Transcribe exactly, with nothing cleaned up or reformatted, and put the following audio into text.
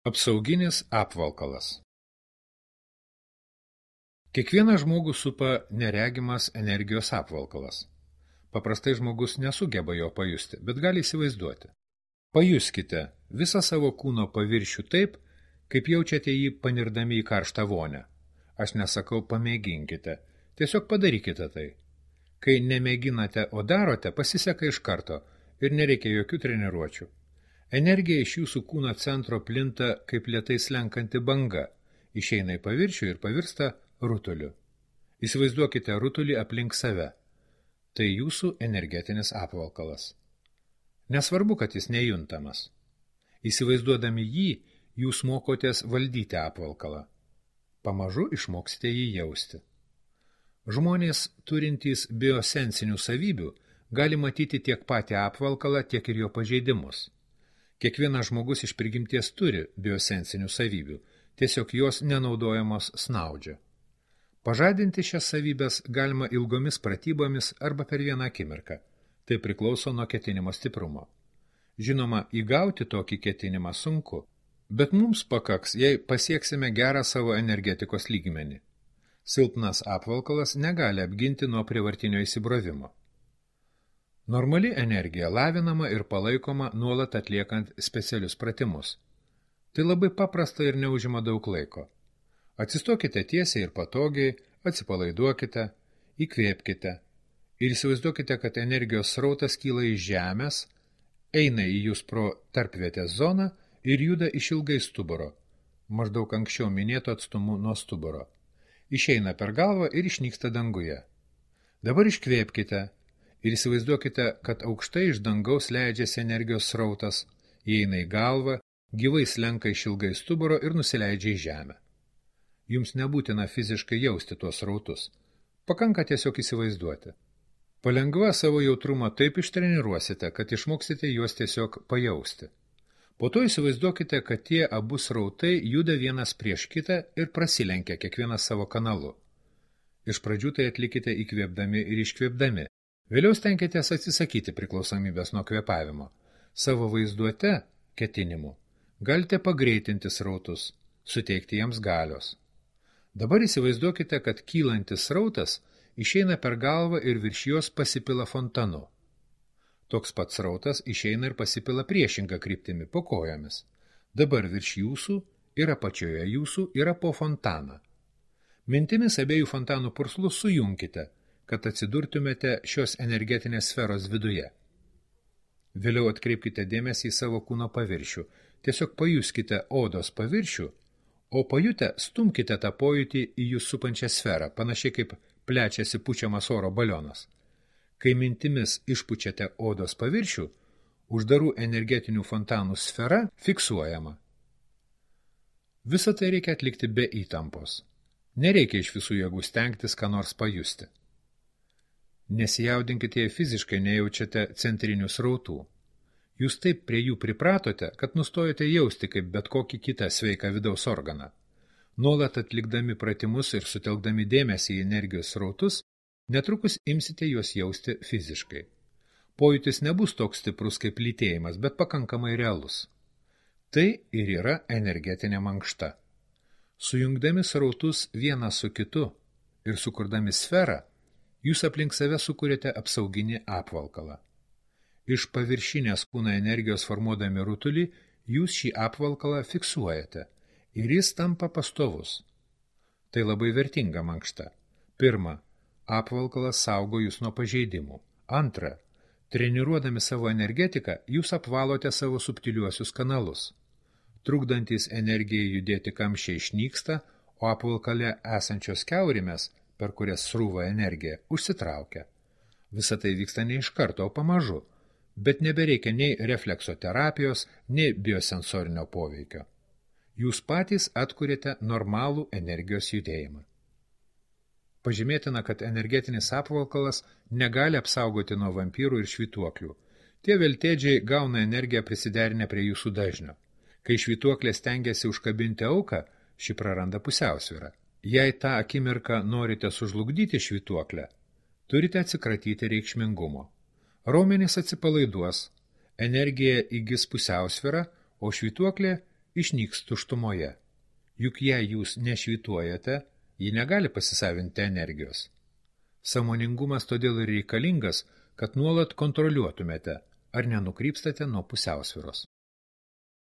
Apsauginis apvalkalas. Kiekvieną žmogų supa neregimas energijos apvalkalas. Paprastai žmogus nesugeba jo pajusti, bet gali įsivaizduoti. Pajuskite visą savo kūno paviršių taip, kaip jaučiate jį panirdami į karštą vonę. Aš nesakau pamėginkite, tiesiog padarykite tai. Kai nemėginate, o darote, pasiseka iš karto ir nereikia jokių treniruočių. Energija iš jūsų kūno centro plinta kaip lėtai slenkanti banga, išeina į paviršių ir pavirsta rutuliu. Įsivaizduokite rutulį aplink save. Tai jūsų energetinis apvalkalas. Nesvarbu, kad jis nejuntamas. Įsivaizduodami jį, jūs mokotės valdyti apvalkalą. Pamažu išmoksite jį jausti. Žmonės, turintys biosensinių savybių, gali matyti tiek patį apvalkalą, tiek ir jo pažeidimus. Kiekvienas žmogus iš prigimties turi biosensinių savybių, tiesiog jos nenaudojamos snaudžia. Pažadinti šias savybės galima ilgomis pratybomis arba per vieną akimirką. Tai priklauso nuo ketinimo stiprumo. Žinoma, įgauti tokį ketinimą sunku, bet mums pakaks, jei pasieksime gerą savo energetikos lygmenį. Silpnas apvalkalas negali apginti nuo prievartinio įsibrovimo. Normali energija lavinama ir palaikoma nuolat atliekant specialius pratimus. Tai labai paprasta ir neužima daug laiko. Atsistokite tiesiai ir patogiai, atsipalaiduokite, įkvėpkite ir įsivaizduokite, kad energijos srautas kyla iš žemės, eina į jūs pro tarpvietės zoną ir juda išilgai stuburo, maždaug anksčiau minėto atstumu nuo stuburo. Išeina per galvą ir išnyksta danguje. Dabar iškvėpkite ir įsivaizduokite, kad aukštai iš dangaus leidžiasi energijos srautas, įeina į galvą, gyvai slenka išilgai stuburo ir nusileidžia į žemę. Jums nebūtina fiziškai jausti tuos srautus. Pakanka tiesiog įsivaizduoti. Palengva savo jautrumą taip ištreniruosite, kad išmoksite juos tiesiog pajausti. Po to įsivaizduokite, kad tie abu srautai juda vienas prieš kitą ir prasilenkia kiekvienas savo kanalu. Iš pradžių tai atlikite įkvėpdami ir iškvėpdami. Vėliau stenkitės atsisakyti priklausomybės nuo kvėpavimo. Savo vaizduote, ketinimu, galite pagreitinti srautus, suteikti jiems galios. Dabar įsivaizduokite, kad kylantis srautas išeina per galvą ir virš jos pasipila fontanu. Toks pats srautas išeina ir pasipila priešinga kryptimi po kojomis. Dabar virš jūsų ir apačioje jūsų yra po fontaną. Mintimis abiejų fontanų purslus sujunkite, kad atsidurtumėte šios energetinės sferos viduje. Vėliau atkreipkite dėmesį į savo kūno paviršių. Tiesiog pajuskite odos paviršių, o pajutę stumkite tą pojūtį į jūs supančią sferą, panašiai kaip plečiasi pučiamas oro balionas. Kai mintimis išpučiate odos paviršių, uždarų energetinių fontanų sfera fiksuojama. Visą tai reikia atlikti be įtampos. Nereikia iš visų jėgų stengtis, ką nors pajusti. Nesijaudinkite, jei fiziškai nejaučiate centrinių srautų. Jūs taip prie jų pripratote, kad nustojate jausti kaip bet kokį kitą sveiką vidaus organą. Nuolat atlikdami pratimus ir sutelkdami dėmesį į energijos srautus, netrukus imsite juos jausti fiziškai. Pojūtis nebus toks stiprus kaip lytėjimas, bet pakankamai realus. Tai ir yra energetinė mankšta. Sujungdami srautus vieną su kitu ir sukurdami sferą, jūs aplink save sukūrėte apsauginį apvalkalą. Iš paviršinės kūno energijos formuodami rutulį, jūs šį apvalkalą fiksuojate ir jis tampa pastovus. Tai labai vertinga mankšta. Pirma, apvalkalas saugo jūs nuo pažeidimų. Antra, treniruodami savo energetiką, jūs apvalote savo subtiliuosius kanalus. Trukdantis energijai judėti kamščiai išnyksta, o apvalkale esančios kiaurimės, per kurias srūva energija, užsitraukia. Visa tai vyksta ne iš karto, o pamažu, bet nebereikia nei refleksoterapijos, nei biosensorinio poveikio. Jūs patys atkuriate normalų energijos judėjimą. Pažymėtina, kad energetinis apvalkalas negali apsaugoti nuo vampyrų ir švytuoklių. Tie veltėdžiai gauna energiją prisiderinę prie jūsų dažnio. Kai švytuoklė stengiasi užkabinti auką, ši praranda pusiausvyrą. Jei tą akimirką norite sužlugdyti švytuoklę, turite atsikratyti reikšmingumo. Raumenys atsipalaiduos, energija įgis pusiausvyrą, o švytuoklė išnyks tuštumoje. Juk jei jūs nešvytuojate, ji negali pasisavinti energijos. Sąmoningumas todėl ir reikalingas, kad nuolat kontroliuotumėte, ar nenukrypstate nuo pusiausvyros.